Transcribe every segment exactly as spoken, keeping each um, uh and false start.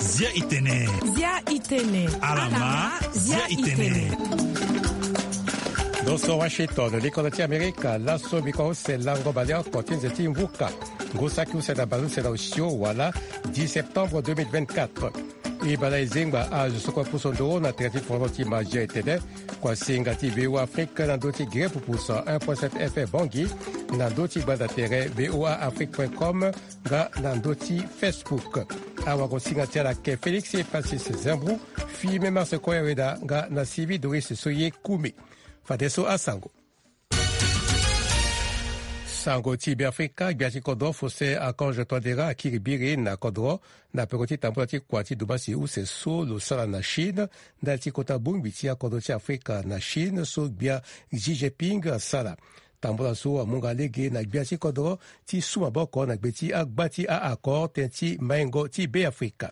Zia itene. Zia itene. Alama. Zia itene. Ndo so Washington, likonda ti Amerika. Laso mbi ko use lango baleoko ti nze ti mvuka. Ngu saki use na baleuse na osio wala dix septembre deux mille vingt-quatre. E baleuse e zengba azo so kue puso ndoro na tere ti forono ti Mazia etene. Kua singa ti V O A Afrique na ndö ti Gere Pupusa un point sept F M Bangui, na ndö ti gbanda tere V O A Afrique point com, nga na ndö ti Facebook. Awago singa ti ala ake Félix Francis Zembou, Fime Marse Koya Weda, nga na Sylvie Doris Soye Kumi. Fadeso asango. Sango ti Beafrika, gbia ti kodro Faustin Archange Touadéra akiri biri na kodro na peko ti tambula ti kua ti dumbasi use so lo sara na Chine, ndali ti kota bongbi ti akodro ti Afrika na Chine so gbia Xi Jinping asara. Tambula so amu nga lege na gbia ti kodro ti su maboko na gbe ti agba ti a-accord tënë ti maingo ti Beafrika.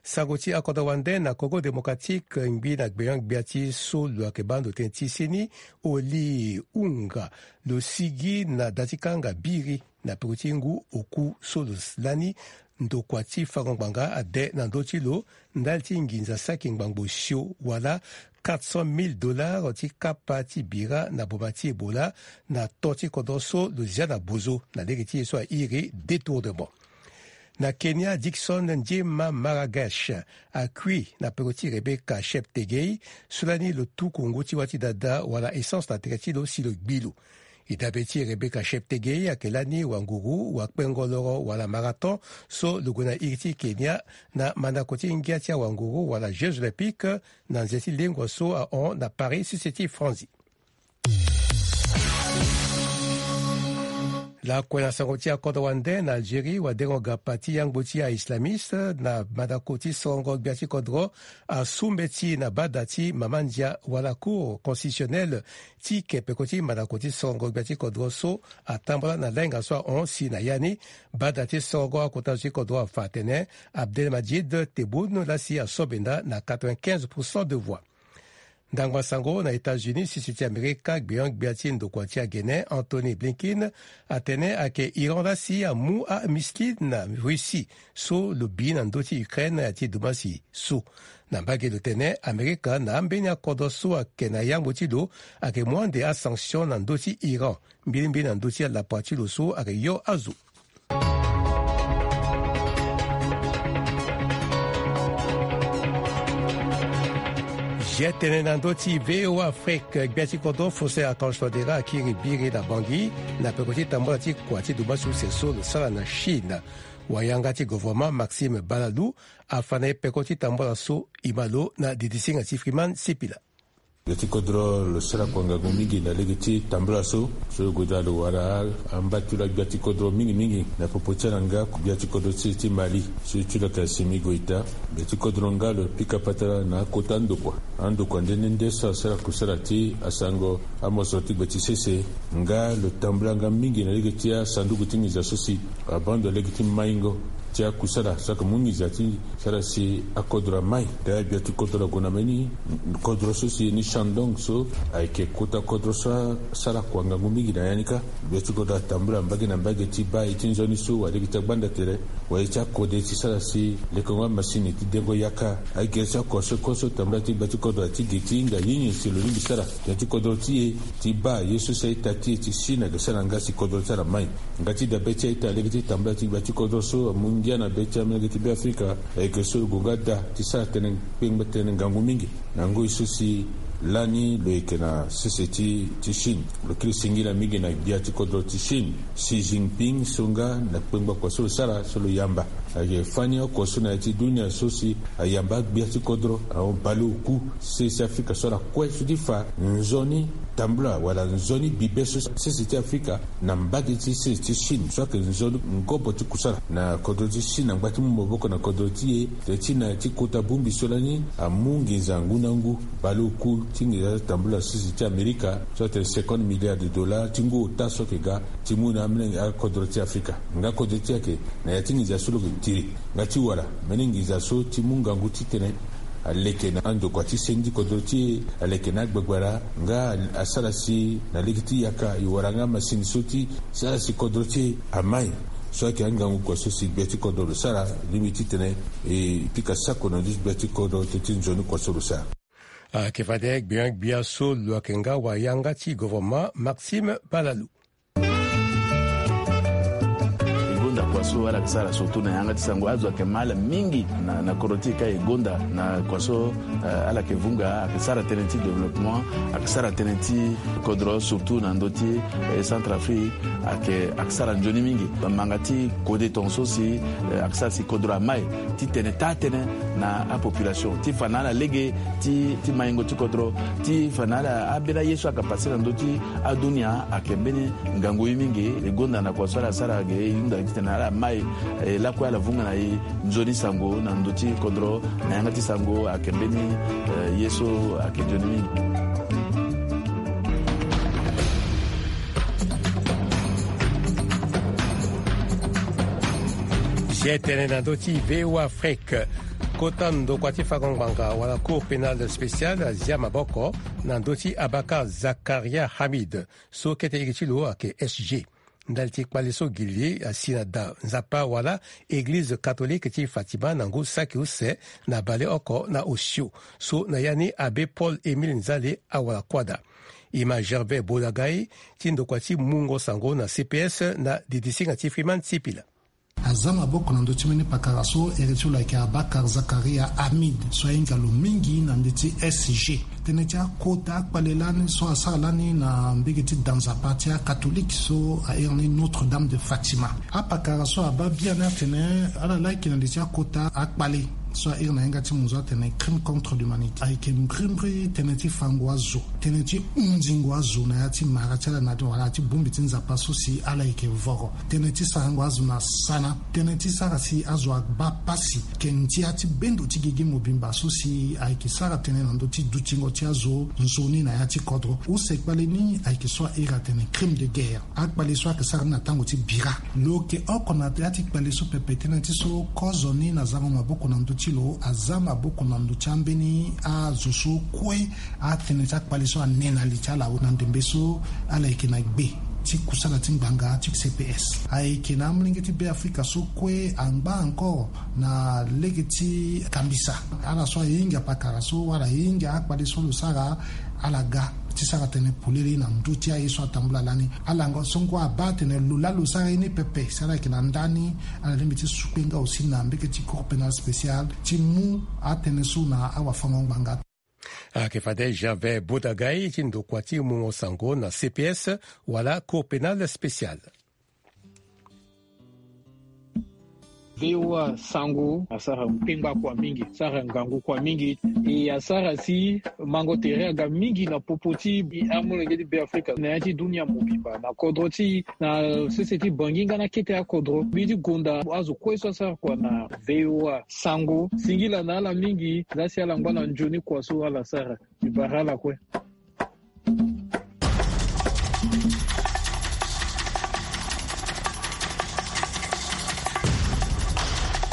Sango ti akodro wande na Congo Démocratique, ngbi na gbenyo-gbia ti so lo yeke baa ndo tënë ti seni, Oli Unga, lo sigi na da ti kanga biri na peko ti ngu oku so lo lani ndokua ti fango ngbanga ade na ndö ti lo ndali ti nginza saki ngbangbo sio wala quatre cent mille dollars ti kapa ti bira na boma ti Ebola na to ti kodro so lo zia na bozo na lege ti ye so airi détournement. Na Kenya, Dickson Njema Maragesh akui na peko ti Rebecca Cheptegei, so lani lo tuku ngu ti wâ ti dada wala essence na tere ti lo si lo gbi lo. E dabe ti Rebecca Cheptegei ayeke lani wanguru, wakpengo loro wala marathon so lo gue na iri ti Kenya na mandako ti ngia ti awanguru wala Jeux Olympiques na nze ti lengua so ahon na Paris, sese ti Franzi. Lakue na sango ti akodro wande, na Algérie, wadengo gapa ti yangbo ti a-islamiste na mandako ti sorongo gbia ti kodro asu mbeti na bada ti mama ndia wala Cour constitutionnelle ti ke peko ti mandako ti sorongo gbia ti kodro so atambula na lainga so ahon si na ya ni. Bada ti sorongo akota zo ti kodro afa atene Abdelmadjid Tebboune la si aso benda na quatre-vingt-quinze pour cent de voix. Ndangba sango na États-Unis, sese ti Amerika, gbenyo-gbia ti ndokua ti agene Antony Blinken atene ayeke Iran la si amu amissile na Russie so lo bi na ndö ti Ukraine ti dumbasi so. Na mbage lo tene Amerika na ambeni akodro so ayeke na yangbo ti lo ayeke mu ande asanction na ndö ti Iran, mbilimbili na ndö ti alapa ti lo so ayeke yo azo. Zia tene na ndö ti V O A Afrique, gbia ti kodro Faustin Archange Touadéra akiri biri na Bangui na peko ti tambula ti kua ti dumbasi use so lo sara na Chine. Wayanga ti gouvernement Maxime Balalou afa na e peko ti tambula so. E ma lo na didisinga ti Freeman Sipila. Gbia ti kodro lo sara kua ngangu mingi na lege ti tambula so. So lo gue daa lo wara amba ti lo agbia ti kodro mingi mingi na popo ti ala nga gbia ti kodro ti, ti Mali so ti lo yeke Assimi Goïta. Gbia ti kodro nga lo pika patara na akota ndokua, andokua nde nde nde so asara kusala ti asango amosoro ti gbe ti sese. Nga lo tambula nga mingi na lege ti asanduku ti nginza so si abaa ndo lege ti maingo ti akusala so ayeke mu nginza ti sara si akodro amai. Daa gbia ti kodro ague na mbeni kodro so si ni Shandong so ayeke kota kodro so asara kua ngangu mingi na ya ni kâ. Gbia ti kodro atambula mbage na mbage ti baa ye ti nzoni so wala ye ti agbanda tere wala ye ti akode ti sara si lekengo amasini ti dengo yaka. Agere ti akua so kue so tambula ti gbia ti kodro ati gi ti hinga ye nyen si lo lingbi sara. Gbia ti kodro ti e ti baa ye so si a-ita ti e ti Chine ayeke sara nga si kodro ti ala mai. Nga ti dabe ti a-ita lege ti tambula ti gbia ti kodro so amu ngia na be ti amolenge ti Beafrika, ayeke so lo gue nga daa ti sara tënë kpengba tënë ngangu mingi na ngoi so si lani lo yeke na sese ti, ti Chine. Lo kiri singila mingi na gbia ti kodro ti Chine, Xi Jinping, so nga na kpengba kua so lo sara so lo yamba. Ayeke fani oko so na ya ti dunia so si ayamba agbia ti kodro ahon baleoku sese ti Afrika so ala kue so ti fa nzoni tambula wala nzoni bibe so sese ti Afrika na mbage ti sese ti Chine so ayeke nzoni ngobo ti kusala na kodro ti Chine angba ti mu maboko na kodro ti e. Tënë ti na ya ti kota bongbi so lani amu nginza ngu na ngu baleoku ti nginza tambula sese ti Amerika so atene cinquante milliards de dollars ti ngu ota so ayeke ga ti mu na amolenge akodro ti Afrika. Nga kodro ti e ayeke na ya ti nginza so lo yeke tiri nga ti wara mbeni nginza so ti mu ngangu titene Aleke na andokua ti sendi kodro ti e, aleke na agbagbara nga asara si na lege ti yaka e wara nga masini so ti sara si kodro ti e amai. So ayeke angangu kua so si gbia ti kodro lo sara, lingbi titene e pika sako na ndö ti gbia ti kodro teti nzoni kua so lo sara. Ayeke fade gbia gbia so lo yeke nga wayanga ti gouvernement Maxime Balalu. E gonda kua so ala yeke sara surtout na yanga ti sango. Azo ayeke ma ala mingi na, na kodro ti e ka e gonda na kua so, eh, ala yeke vunga, ayeke sara tënë ti développement, ayeke sara tënë ti kodro surtout na ndö ti, eh, Centrafrique, ayeke, ayeke sara nzoni mingi. Manga ti kode tongaso si, eh, ayeke sara si kodro amai titene taa tënë na apopulation ti fa na ala lege ti, ti maingo ti kodro, ti fa na ala ambeni aye so ayeke pase na ndö ti adunia ayeke mbeni ngangu ye mingi. E gonda na kua so ala sara ge e hunda titene ala mai, eh, lakue ala vunga na e nzoni sango na ndö ti kodro, na yanga ti sango ayeke mbeni, eh, ye so ayeke nzoni mingi. Si e tene na ndö ti V O A Afrique, kota ndokua ti fango ngbanga wala Cour pénale spéciale azia maboko na ndö ti Abakar Zakaria Hamid, so kete iri ti lo ayeke S G. Ndali ti kpale so gi li asi na da Nzapa wala Eglize catholique ti Fatima na ngu saki use na bale oko na osio, so na ya ni Abbé Paul Émile Nzale awara kuâ daa. E ma Gervais Bodagai ti ndokua ti mungo sango na C P S na didisinga ti Freeman Sipila. Aza maboko na ndö ti mbeni pakara so iri ti lo ayeke Abakar Zakaria Hamid, so ahinga lo mingi na ndö ti S G. Tënë ti akota akpale lani so asara lani na mbege ti da Nzapa ti akatholike so a iri ni Notre Dame de Fatima. Apakara so abaa biani atene ala laa ayeke na li ti akota akpale so a iri na yanga ti munzu atene crime contre l'humanité. Ayeke mbrimbri tënë ti fango azo, tënë ti hunzingo azo na ya ti mara ti ala na wala ti bongbi ti Nzapa so si ala yeke voro, tënë ti sarango azo na sana, tënë ti sara si azo abaa pasi, ayeke ndia ti bendo ti gigi mobimba so si ayeke sara tënë na ndö ti dutingo ti azo nzoni na ya ti kodro. Use kpale ni ayeke so a iri atene crime de guerre. Akpale so ayeke sara ni na tango ti bira. Lo yeke oko na ya ti kpale so pepe tënë ti so kozoni na zango maboko na ndö ti lo aza maboko na ndö ti ambeni azo so kue atënë ti akpale so ane na li ti ala na ndembe so ala yeke na gbe ti kusala ti ngbanga ti C P S. Ayeke na amolenge ti Beafrika so kue angba encore na lege ti kambisa. Ala so ahinga pakara so wala ahinga akpale so lo sara, ala ga ti sara tënë polele na ndö ti aye so atambula lani. Ala ngo so ngo abaa atene lo laa lo sara ye ni pepe si ala yeke na ndani, ala lingbi ti sukpe nga aussi na mbege ti Cour pénale spéciale ti mu atënë so na awafango-ngbanga. Ayeke fade Gervais Bodagai ti ndokua ti mungo sango na C P S wala Cour pénale spéciale. V O A sango asara kpengba kua mingi, asara ngangu kua mingi. E asara si mango tere aga mingi na popo ti amolenge ti Beafrika na ya ti dunia mobimba, na kodro ti, na sese ti Bangui nga na kete akodro. Mbi ti gonda azo kue so asara kua na V O A sango. Singila na ala mingi, za si ala ngba na nzoni kua so ala sara. Mbi bara ala kue.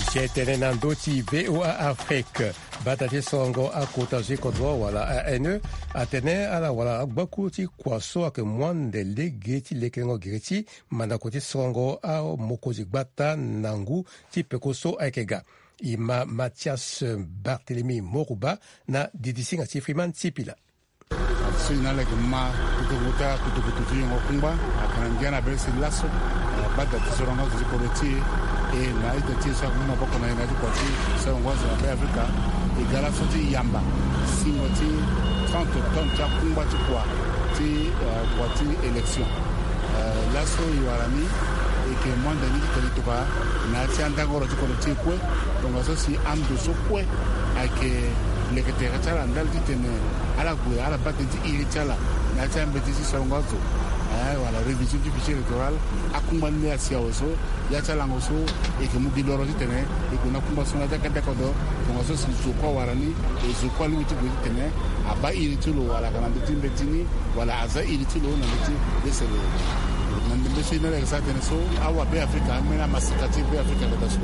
Si e tene na ndö ti V O A Afrique, bata ti sorongo akota zo ti kodro wala A N E atene ala wara agbaku ti kua so ayeke mu ande lege ti lekerengo gere ti mandako ti sorongo amokonzi gbata na ngu ti peko so ayeke ga. E ma Mathias Barthélemy Morouba na didisinga ti Freeman Sipila. So e na ala yeke ma kutukutu ti kutukutu ti yongo kungba ayeke na ngia na bere si laso, eh, bada ti sorongo azo ti kodro ti e, e na ita ti e so ayeke mu maboko na e na ya ti kua ti sorongo azo na Beafrika. E ga laso ti yamba singo ti trente tonnes ti akungba ti kua ti, eh, kua ti élection. Eh, laso e wara ni, e yeke mu ande ni ti tene e tokua na ya ti andangoro ti kodro ti e kue. Tongaso si ando so kue ayeke leke tere ti ala ndali titene ala gue ala baa tënë ti iri ti ala na ya ti ambeti ti sorongo azo, eh, wala révision ti fichier électoral. Akungba ni laa asi awe so, ya ti alango so e yeke mu gi loro titene e gue na akungba so na ya ti akete kodro. Tongaso si zo kue awara ni, e zo kue alingbi ti gue titene abaa iri ti lo wala ayeke na ndö ti mbeti ni, wala aza iri ti lo na ndö ti lesere. Na ndembe so e na ala yeke sara tënë so awa Be Afrika ambeni amasika ti Be Afrika ayeke daa so,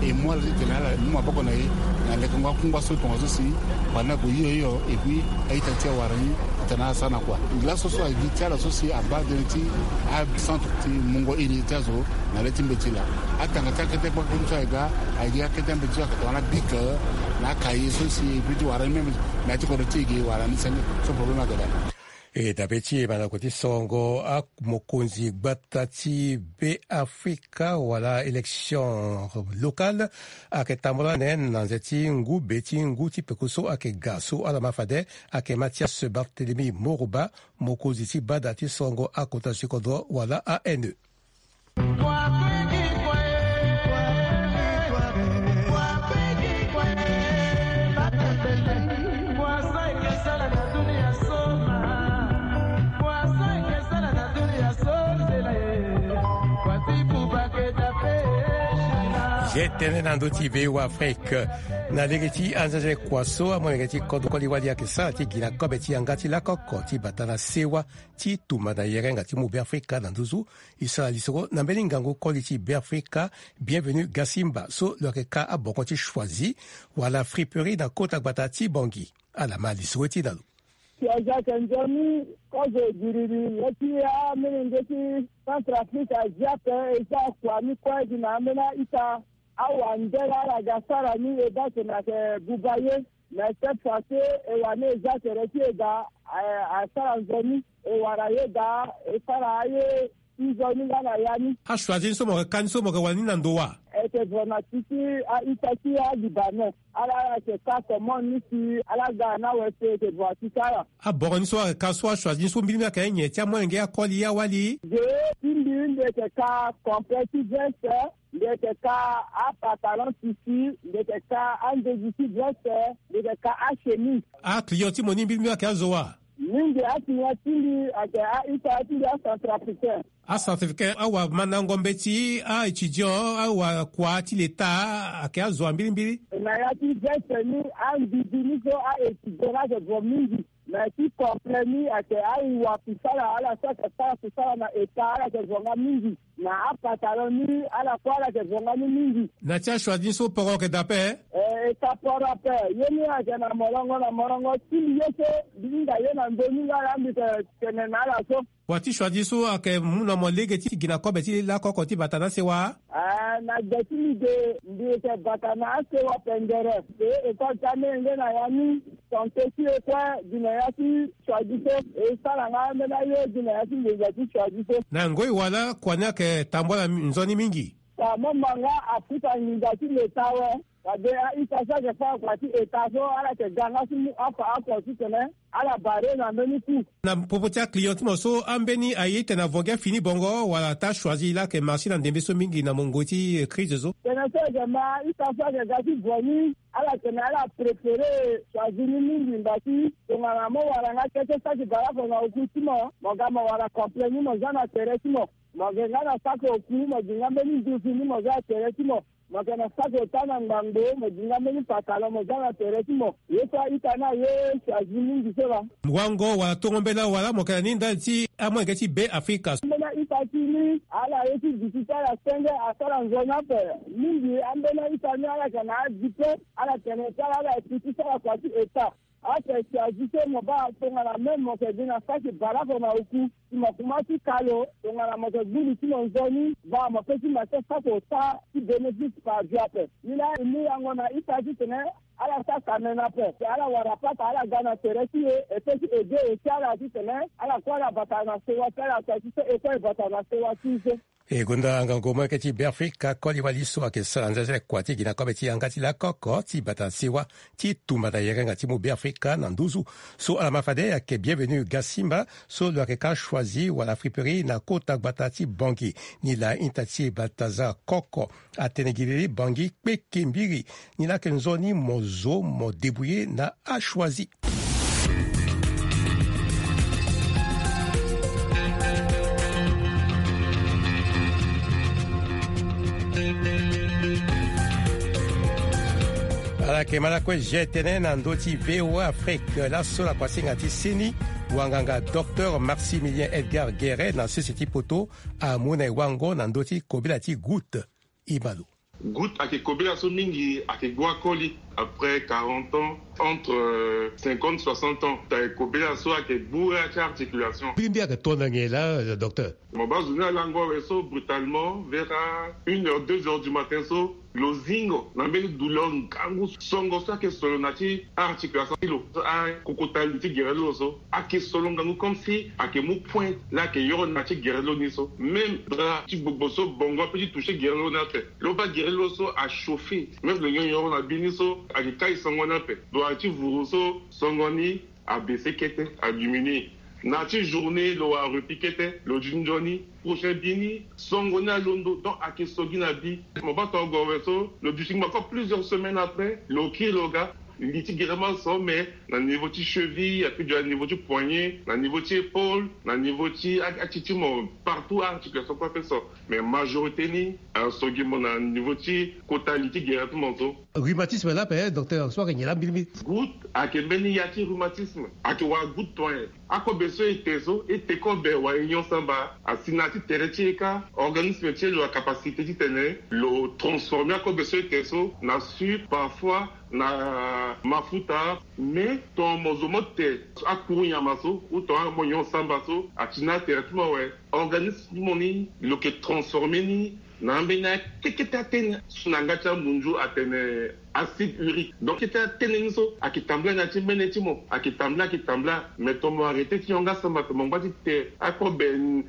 e mu ala titene ala mu maboko na e na lekengo akungba so tongaso si pari ni ague hio hio. Et puis a-ita ti awara ni atene ala sara na kua. Laso so ayeke gi ti ala so si abaa tënë ti acentre ti mungo iri ti azo na le ti mbeti laa. Atanga ti akete kpakpam so ayeke ga, ayeke gi akete ambeti so ayeke tongana bic na akaye so si e peut ti wara ni même na ya ti kodro ti e ge wala ni senge so problème ayeke daa. E dabe ti e mandako ti sorongo amokonzi gbata ti Be Afrika wala élection locale ayeke tambula nen na nze ti ngu be ti ngu ti peko so ayeke ga so ala ma fade ayeke Mathias Barthélemy Moroba, mokonzi ti bada ti sorongo akota sikodro wala A N E. Ye tënë na ndö ti V O A Afrique. Na lege ti anzenzele kua so amolenge ti kodro koli wali ayeke sara ti gi na kobe ti yanga ti lakoko ti bata na sewa ti tumba na yerenga ti mu Be Afrika na nduzu. E sara lisoro na mbeni ngangu koli ti Be Afrika, Bienvenu Gasimba, so lo yeke ka abongo ti Choisy wala friperie na kota gbata ti Bangui. Ala ma lisoro ti na lo. Si aza ayeke nzoni kozo giriri ye ti amolenge ti Centrafrique azi ape. E za kua ni kue gi na ambeni a-ita. Awandela ala ga sara ni e baa tene ayeke buba ye. Mais cette fois ci e wani e za tere ti e daa, eh, asara nzoni, e wara ye daa, e sara aye ti nzoni nga na ya ni. A-Choisy ni so mo yeke ka ni so mo yeke wara ni na ndo wa? E yeke vraiment ti ti a-ita ti a-Libanais. Ala, ala yeke ka commande ni si ala ga na awe so e yeke vraiment ti ti ala. Abongo ni so ayeke ka so a-Choisy ni so mbilimbili ayeke nyen ti amolenge akoli awali? Ge ti mbi, mbi yeke ka complet ti veste. Mbi yeke ka apantalon tissu, mbi yeke ka andezi ti veste, mbi yeke ka achemise. Aclient ti mo ni mbilimbili ayeke azo wa? Mingi aclient ti mbi ayeke a-ita ti mbi acentrafricain. Acentrafricain, awamandango mbeti, a-étudiant, awakua ti leta, ayeke azo wa mbilimbili. Na ya ti veste ni, angbidi ni so a-étudiant ni ayeke vo mingi. Na ya ti complet ni ayeke awa kusala, ala so ayeke sara kusala na État, ala yeke vo nga mingi. Na apantalon ni, ala kue ala yeke vo nga ni mingi. Na ti a-Choisy ni so poro ayeke daa ape? Eh, e ka poro ape. Ye ni ayeke na molongo na molongo ti mbi ye so, mbi hinga ye na ndö ni nga laa mbi yeke tene na ala so. Wa ti Choisy so ayeke mu na mo lege ti gi na kobe ti lakoko ti bata na sewa? Ah, na gbe ti mbi ge, mbi yeke bata na asewa pendere. E, école ti amolenge na ya ni. Santé ti e kue gi na ya ti Choisy so, e sara nga ambeni aye gi na ya ti nginza ti Choisy so. Na ngoi wala kua ni ayeke tambula nzoni mingi? Ka mo ma nga afuta nginza ti leta awe. Fade a-ita so ayeke fâ kua ti État so, ala yeke ga nga ti mu afa oko titene ala barre na mbeni coût. Na popo ti aclient ti mo so, ambeni aye titene avo gi afini bongo wala ata Choisy laa ayeke marché na ndembe so mingi na mungo ti crise so? Tene so e yeke ma a-ita so ayeke ga ti vo ni, ala tene ala préféré Choisy ni mingi, mba ti tongana mo wara nga kete saki bale oko na oku ti mo, mo ga mo wara complet ni mo za na tere ti mo. Mo yeke nga na saki oku, mo gi nga mbeni nduzu ni mo za na tere ti mo. Mo yeke na saki ota na ngbangbo, mo gi nga mbeni pantalon mo za na tere ti mo. Ye so a-ita ni aye Choisy mingi so laa. Wango wala tongo mbela wala mo yeke na ni ndali ti amolenge ti Be Afrika? Ambeni a-ita ti ni, ala ye ti gi ti ti ala senge asara nzoni ape. Mingi ambeni a-ita ni ala yeke na adiplôme, ala tene ti ala ala yeke ti sara kua ti État. Ape Choisy so mo baa tongana même mo yeke gi na saki bale oko na oku, si mo kuma ti ka lo, tongana mo yeke gbu li ti mo nzoni, baa mo peut ti ma ti saki ota ti bénéfice par jour ape. Ni laa e mu yango na ita titene ala sara kamene ape. Si ala wara pata ala ga na tere ti e, e peut ti aidé aussi ala titene ala kue ala bata na sewa ti ala, Choisy so e kue e bata na sewa ti e so. E gonda ngangu molenge ti Be Afrika koli wali so ayeke sara nzenzele kua ti gi na kobe ti yanga ti lakoko ti bata na sewa ti tumba na yerenga ti mu Be Afrika na nduzu. So ala ma fade ayeke Bienvenu Gasimba, so lo yeke ka Choisy wala friperie na kota gbata ti Bangui. Ni laa ita ti e Balthazar Koko atene gi lili Bangui kpeke mbiri. Ni laa ayeke nzoni mo zo mo débrouiller na a-Choisy. Ayeke ma lakue je tene na ndö ti V O A Afrique laso lakua singa ti seni wanganga docteur Maximilien Edgar Guéret na sese ti poto amu na e wango na ndö ti kobela ti goutte. Ibalo. Goutte ayeke kobela so mingi ayeke gbu akoli après quarante ans, entre cinquante soixante ans. Ayeke kobela so ayeke gbu ya ti articulation. Mbilimbi ayeke to na nyen laa, docteur? Mo baa zo ni alango awe so brutalement vers une heure, deux heures du matin so lo zingo na mbeni douleur ngangu songo so ayeke solo na ti articulation ti lo, akokota li ti gere lo so ayeke solo ngangu comme si ayeke mu pointe la ayeke yoro na ti gere lo ni so. Même drap ti gbogbo so bongo ape ti toucher gere lo ni ape. Lo baa gere lo so achauffer, même lo nyon yoro na bi ni so ayeke kai songo ni ape. Doit ti vuru so songo ni abaisser kete, adiminuer. Na ti journée lo wara repli kete, lo di nzoni. Prochain bi ni songo ni alondo, donc ayeke so gi na bi. Mo baa tongo awe so lo duti ngba encore plusieurs semaines après, lo kiri lo ga. Li ti gere ma so, mais na niveau ti cheville, ape dio na niveau ti poignet, na niveau ti épaule, na niveau ti a- ati ti mo, partout articulation kue ape so. Mais majorité ni aso gi mo na niveau ti kota li ti gere ti mo so. Rhumatisme la ape, docteur, so ayeke nyen laa mbilimbi? Goutte ayeke mbeni ya ti rhumatisme, ayeke wara goutte toin. Akobe so e te so, e te kobe wala e nyon samba, asi na ya ti tere ti e kâ, organisme ti e lo na capacité titene lo transformer akobe so e te so na sucre, parfois na mafuta. Mais tonga mo zo mo te akuru nyama so ou tonga mo nyon samba so, ati na atere ti mo awe, organisme ti mo ni lo yeke transformer ni na ambeni akekete atene so na yanga ti amunzu atene acide urique. Donc kete atene ni so ayeke tambula na ya ti mene ti mo, ayeke tambula, ayeke tambula. Mais tonga mo arrêter ti nyon nga samba, tonga mo ngba ti te akobe,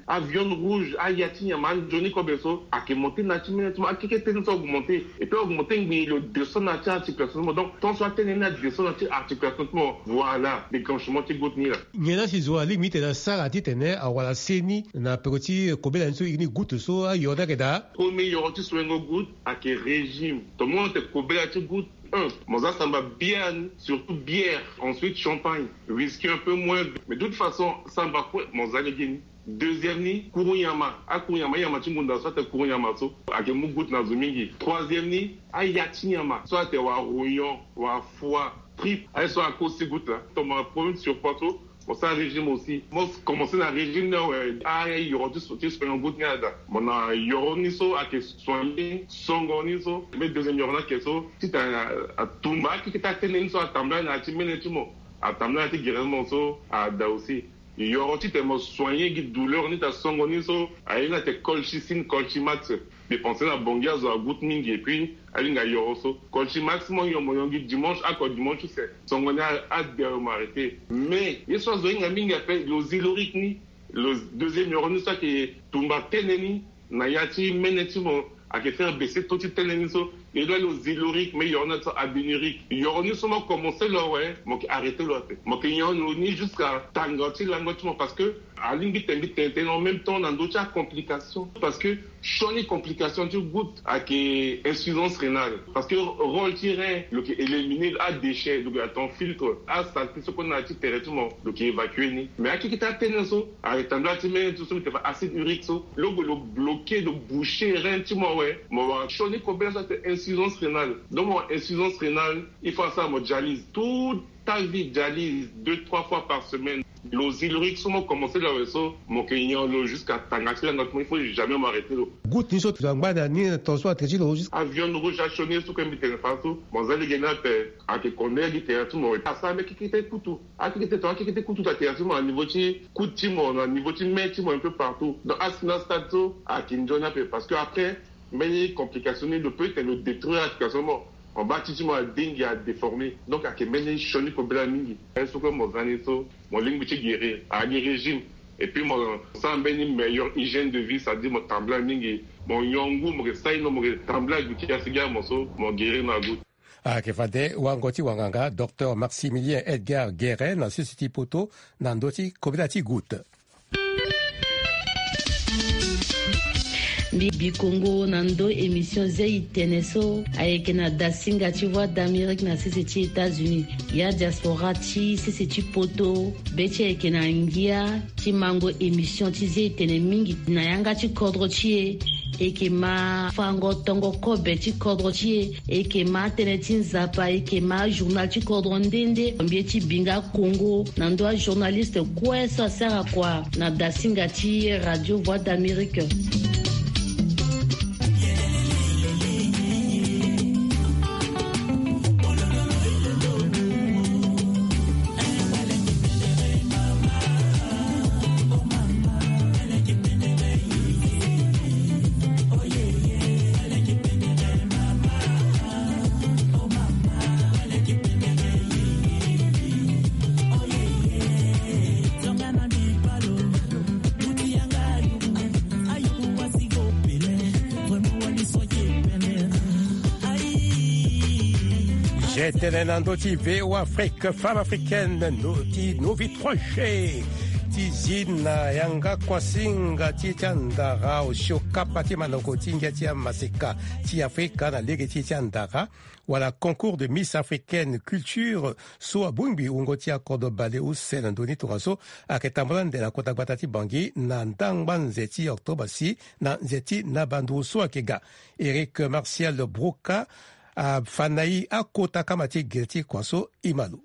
aviande rouge, aya ti nyama, anzoni kobe so ayeke monter na ya ti mene ti mo, akekete ni so augmenter. Et puis augmenter ngbii lo descend na ya ti articulation ti mo. Donc tant so atene ni adescend na ya ti articulation ti mo, voilà déclenchement ti goutte ni la. Nyen la si zo alingbi titene asara titene awara seni na peko ti kobela ni so, iri ni goutte so, ayoro ni ayeke daa? Premier yoro ti soingo goutte ayeke régime. Tonga mo te kobela ti goutte, un, mo za samba bière ni, surtout bière, ensuite champagne, whisky un peu moins. Mais de toute façon samba kue mo za lege ni. Deuxième ni kuru nyama. Akuru nyama, nyama ti ngunda so ate kuru nyama so ayeke mu goutte na zo mingi. Troisième ni aya ti nyama so ate wara rognon, wara foie, tripe, aye so ako aussi goutte la. Tonga mo na problème surpoids so, mo sara régime aussi. Mo commencer na régime ni awe, ayoro ti so, ti soigner goutte ni ada. Mo na yoro ni so ayeke soigner songo ni so. Mais deuxième yoro ni ayeke so titene atumba akekete atene ni so atambula na ya ti mene ti mo, atambula na ya ti gere ti mo so ada aussi. Yoro titene mo soigner gi douleur ni ta songo ni so, aye ni ate colchicine, colchimax. Mbi pense na Bangui azo agoutte mingi et puis alingbi ayoro so. Colchimax mo nyon, mo nyon gi dimanche, ako dimanche use songo ni a- ade awe mo arrêter. Mais ye so azo hinga mingi ape, lo zilorique ni, lo deuxième yoro ni so ayeke tumba tene ni na ya ti mene ti mo, ayeke faire baisser taux ti tene ni so. E lo lo zilorique, mais yoro ni so abinurique. Yoro ni so mo commencer lo awe, mo yeke arrêter lo ape. Mo yeke nyon lo ni jusqu'à tanga ti lango ti mo, parce que alingbi tene mbi tene tënë en même temps na ndö ti acomplication. Parce que sioni complication ti goutte ayeke insuffisance rénale. Parce que rôle ti rein lo yeke éliminer adéchet, lo yeke atonga filtre, asaleté so kue na ya ti tere ti mo lo yeke évacuer ni. Mais akekete atene so ayeke tambula ti mene ti so mbi tene fa acide urique so, lo gue lo bloquer, lo boucher rein ti mo awe, mo wara sioni kobela so ate insuffisance rénale. Donc mo wara insuffisance rénale, il faut asara mo dialyse toute ta vie, dialyse deux trois fois par semaine. Lo zilorique so mo commencer lo awe so, mo yeke nyon lo jusqu'à tanga ti lango ti mo, il faut jamais mo arrêter lo. Goutte ni so tongana angba na ni na temps so atere ti lo jusqu'à aviande rouge, asioni so kue mbi tene fa so, mo za lege ni ape. Ayeke kondele gi tere ti mo, asara mbeni kekete kutu. Akekete tonga akekete kutu ta tere ti mo na niveau ti coude ti mo, na niveau ti main ti mo, un peu partout. Donc asi na stade so ayeke nzoni ape, parce que après mbeni complication ni lo peut tene lo détruire articulation mo, mo baa ti ti mo adingi, adéformer. Donc ayeke mbeni sioni kobela mingi. Aye so kue mo za ni so, mo lingbi ti guérir, agi régime. Et puis mo sara mbeni meilleure hygiène de vie, c'est-à-dire mo tambula mingi, mo nyon ngu, mo yeke saino, mo yeke tambula gi ti asi gi amo so mo guérir na goutte. Ayeke fade wango ti wanganga docteur Maximilien Edgar Guéret na sese ti poto na ndö ti kobela ti goutte. Mbi bi kongo na ndö émission zia e tene so ayeke na dasinga ti Voix d'Amérique na sese ti États-Unis. Ya diaspora ti sese ti poto, be ti e ayeke na ngia ti mango émission ti zia e tene mingi na yanga ti kodro ti e. E yeke ma fango tongo kobe ti kodro ti e. E yeke ma atënë ti nzapa, e yeke ma ajournal ti kodro nde nde mbi ye ti binga kongo na ndö ajournaliste kue so asara kua na dasinga ti radio voix d'amérique. J'étais na ndö ti V O Afrique, femme africaine, no, ti Novi Troche, ti zi na yanga kuasinga ti, ti andara osio kapa ti manoko ti ngia ti amaseka ti Afrika na lege ti, ti andara wala concours de Miss Africaine Culture so abongbi wungo ti akodro baleuse na ndö ni tongaso ayeke tambula nde na kota gbata ti Bangui na ndangba nze ti octobre si na nze ti naba nduru so ayeke ga. Eric Martial Broca afa na e akota kama ti gere ti kua so e ma lo.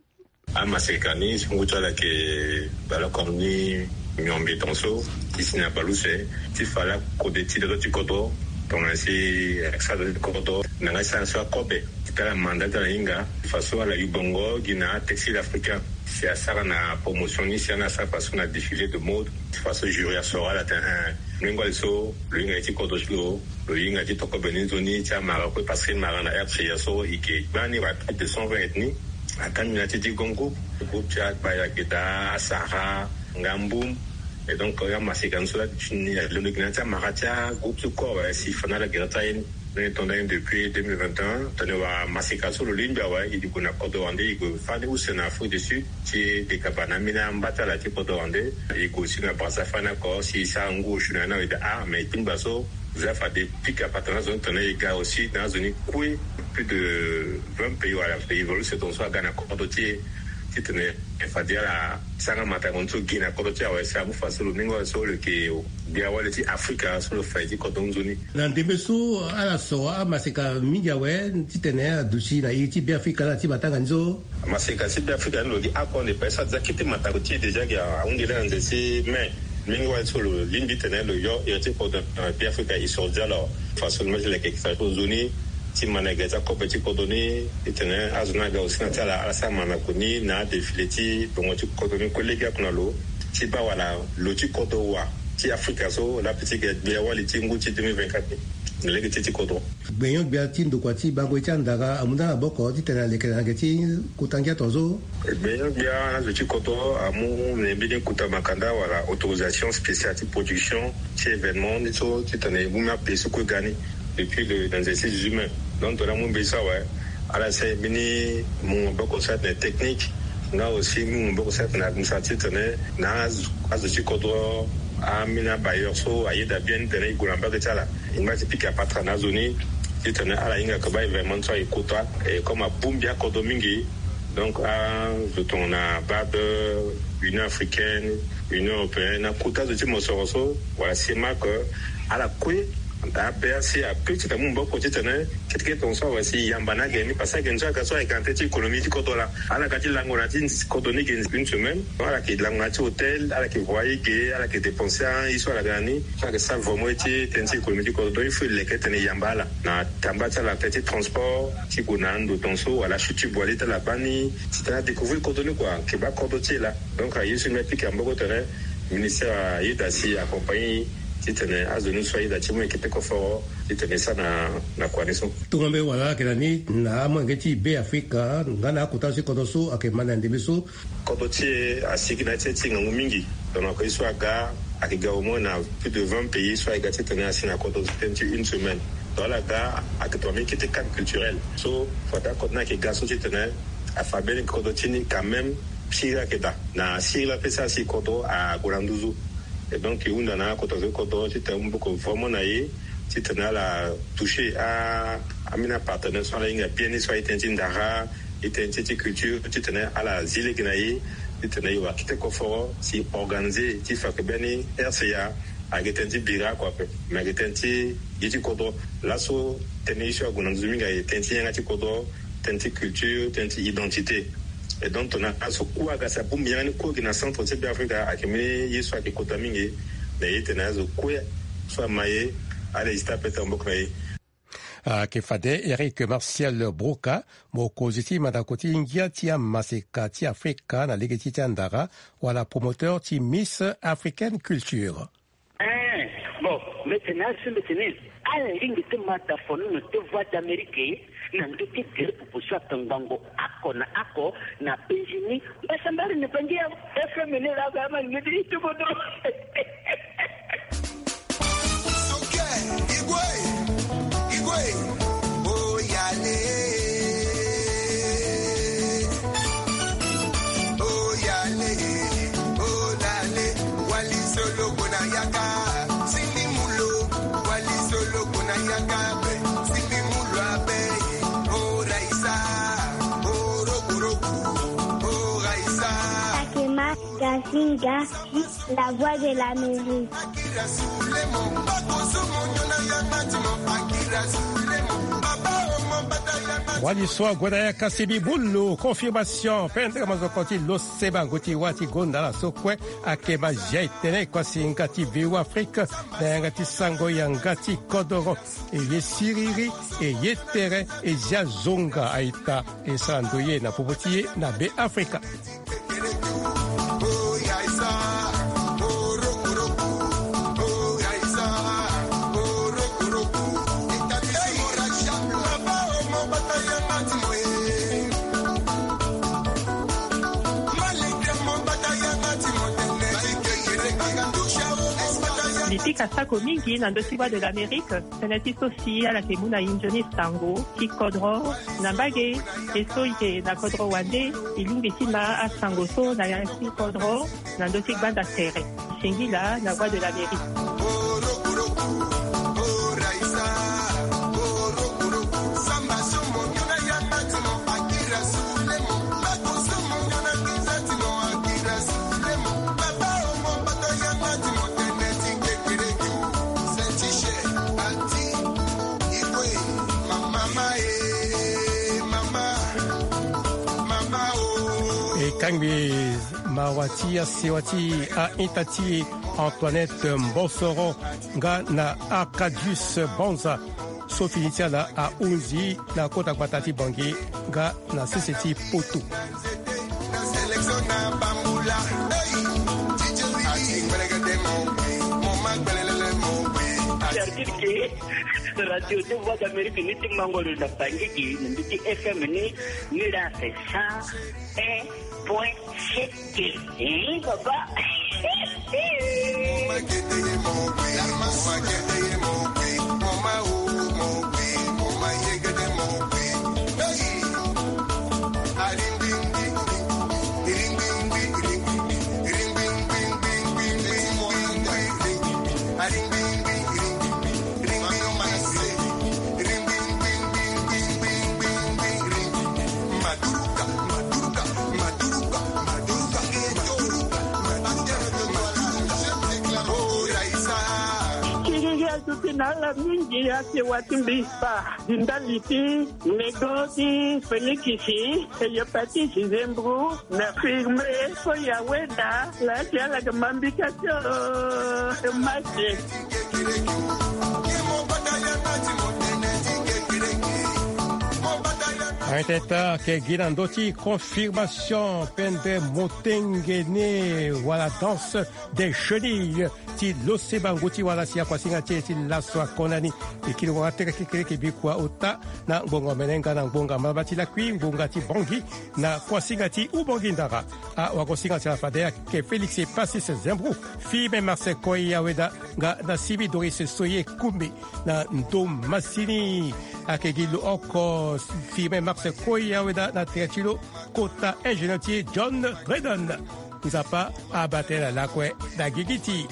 Amaseka ni so ngu ti ala ayeke baleoko ni miombe tongaso ti si na baleuse ti fa lakode ti loto ti kodro tongana si asara loto ti kodro na nga ti sara so akobe ti tala manda ti ala hinga faso ala yu bongo gi na atextile africain si asara na promotion ni si ana asara faso na défilé de mode faso jury asoro ala tene un. Mingo ali so lo hinga ye ti kodro ti lo lo hinga ti toko bene nzoni ti amara kue parce que mara na R C A so e ke gbani rapide de cent vingt ethnie. Atangi na ti ti grand groupe groupe ti akpaya geda asara ngambum. Et donc amaseka ni so la ti ni alondo gi na ti amara ti agroupe ti kue awe si fa na ala gera ti aye ni. Ni tonda ni depuis deux mille vingt et un tene wa maseka so lo lingbi awe e gue na kodro wande e gue fani use na Afrique du Sud ti dekaba na ambeni amba ti ala ti kodro wande. E gue aussi na Brazza fani oko si e sara ngu osio na ya ni awe daa ah mais e tingba so. Za fade pika patana zo ni tene e ga aussi na azo ni kue plus de vingt pays wala pays évolué se tongaso aga na kodro ti e. Titene e fade ala sara matango ni so gi na kodro ti e awe si amu fa so lo mingo so lo yeke gbia wali ti Afrika so lo fa ye ti kodro nzoni. Na ndembe so ala so amaseka mingi awe titene aduti na iri ti Beafrika na ti matanga ni so. Amaseka ti Beafrika ni lo gi akua nde pa e sara déjà kete matango ti e déjà gi ahunde laa na nze ti mai. Mingi wali so lo lingbi tene lo yo iri ti kodro na Beafrika e soro déjà lo. Façon ni ma ti leke kisa ti nzoni ti ma na gere ti akobe ti kodro ni. Titene azo ni aga aussi na ti ala ala sara manako ni na adéfilé ti bongo ti kodro ni kue lege oko na lo ti baa wala lo ti kodro wa ti Afrika so la pe ti gere gbia wali ti ngu ti deux mille vingt-quatre ni na lege ti ti kodro. Gbenyo-gbia ti ndokua ti bango ye ti andara amu nda na boko titene aleke na yeke ti kota ngia tongaso. Gbenyo-gbia na azo ti kodro amu na mbeni kota makanda wala autorisation spéciale ti production ti événement ni so titene e mu mbi ape so kue ga ni depuis le na nze ti dix-huit mai. Donc tongana amu mbeni so awe ala sara mbeni mu maboko so atene technique nga aussi mu maboko so atene administratif titene na azo ti kodro ambeni abailleur so ayeda bien titene e gue na mbage ti ala. E ngba ti pika patara na azo ni titene ala hinga ke baa événement so aye kota. Et comme abongbi akodro mingi donc azo tongana bad Union africaine, Union européenne akota azo ti mosoro so wala CEMAC ala kue abe asi ape titene amu maboko titene kete kete tongaso awe si e yamba na agene ni parce que agene so aga so ayeke na tënë ti économie ti kodro laa. Ala ga ti lango na ti kodro ni ge une semaine. Donc ala yeke lango na ti hôtel ala yeke voye ge ala yeke dépenser aye so ala ga na ni. Ala yeke sara vraiment ye ti tënë ti économie ti kodro. Donc il faut e leke titene e yamba ala na tamba ti ala na tënë ti transport ti gue na ando tongaso wala achuti boile ti ala baa ni titene adécouvrir kodro ni kua. Ayeke baa kodro ti e laa. Donc aye so mbi apika maboko tene ministère ayeda si accompagner titene azo ni so ayeda ti mu yeke te koforo titene e sara na kua ni so. Tongana mbi wala ala yeke na ni na amolenge ti Beafrika nga na akota so ti kodro so ayeke ma na ndembe so. Kodro ti e asigi na ya ti e ti ngangu mingi. Donc na ko ye so aga ayeke ga au moins na plus de vingt pays so ayeke ga titene asi na kodro ti tënë ti une semaine. Donc ala ga ayeke tongana mbeni kete cadre culturel so fade akodro ni ayeke ga so titene afa mbeni kodro ti ni quand même. Sirila ayeke daa na sirila pe so asi kodro ague na nduzu. Et donc e hunda na akota zo ti kodro titene amu maboko vraiment na e titene ala toucher ambeni apartenaire so ala hinga bien ni so aye tënë ti ndara, e tënë ti ti culture titene ala zi lege na e titene e wara kete koforo si e organiser ti fa yeke mbeni R C A. Ayeke tënë ti bira oko ape, me ayeke tënë ti gi ti kodro. Laso tënë ye so ague na nduzu mingi ayeke tënë ti yanga ti kodro, tënë ti culture, tënë ti identité. E donc tongana azo kue aga si abongbi yanga ni kue gi na centre ti be afrika ayeke mbeni ye so ayeke kota mingi. Na ye tene azo kue so ama ye, ala hésiter ape ti maboko na ye. Ayeke fade Eric Martial Broca, mokonzi ti mandako ti ngia ti amaseka ti afrika na lege ti ti andara, wala promoteur ti Miss African Culture. Eh, bon, mbetene asu mbetene. Ala lingbi ti ma da fonono ti voix d'amérique na ndö ti gere pupu so atongbango oko na oko na penzi ni. Mbasambari ni bangi ya FM ni la ga ma ngedi itubodo. Akema Gazinga, la voix de l'Amérique. Wali so ague na ya kasi bibulu confirmation pendre mazoko ti lo seba ngu ti wa ti gonda na so kue. Akema zia etene kuasinga ti V O Afrique na yanga ti sango yanga ti kodoro. E ye siriri, e ye tere, e zia zonga aita e sara ndoye na popo ti ye na be afrika. Mbi pika sako mingi na ndö ti Voix de l'Amérique. Tënë ti so si ala yeke mu na e nzoni sango ti kodro na mbage. E so e yeke na kodro wande, e lingbi ti ma asango so na yanga ti kodro na ndö ti gbanda tere. Singila na Voix de l'Amérique. E kangbi mawa ti asewa ti a-ita ti Antoinette Mbossoro nga na Arcadius Banza. So fini ti ala ahunzi na kota gbata ti Bangui nga na sese ti Poto. Certitude ke radio ti Voix d'Amérique ni ti mango lo na Bangui gi na mbi ti F M ni, ni la c'est cent un point sept. Ih, papa. Kiriri azo ti na ala mingi ake wati mbi fa. Di ndali ti nego ti Félix, Hépatite, Zembro, na firme so ya weda la ti ala ke mambika ti o mate. Arteta ke gi na ndö ti confirmation pendre motengene wala danse des chenilles ti lo seba ngu ti wala si akuasinga ti e ti laso akonda ni. E kiri wanga tere kekereke bikua ota na ngbonga omene nga na ngbonga malaba ti lakui ngbonga ti Bangui na kuasinga ti Ubangui ndara. Awagosinga ti ala fade ayeke Félix Hépatite Zembro, Firmin Marcel Koï Aweda nga na Simi Doris Soye Koumé. Na ndo masini ayeke gi lo oko Firmin Marcel Koï Aweda na tere ti lo kota ingénieur ti e John Dredon. Nzapa abaa tënë na lakue na gigi ti.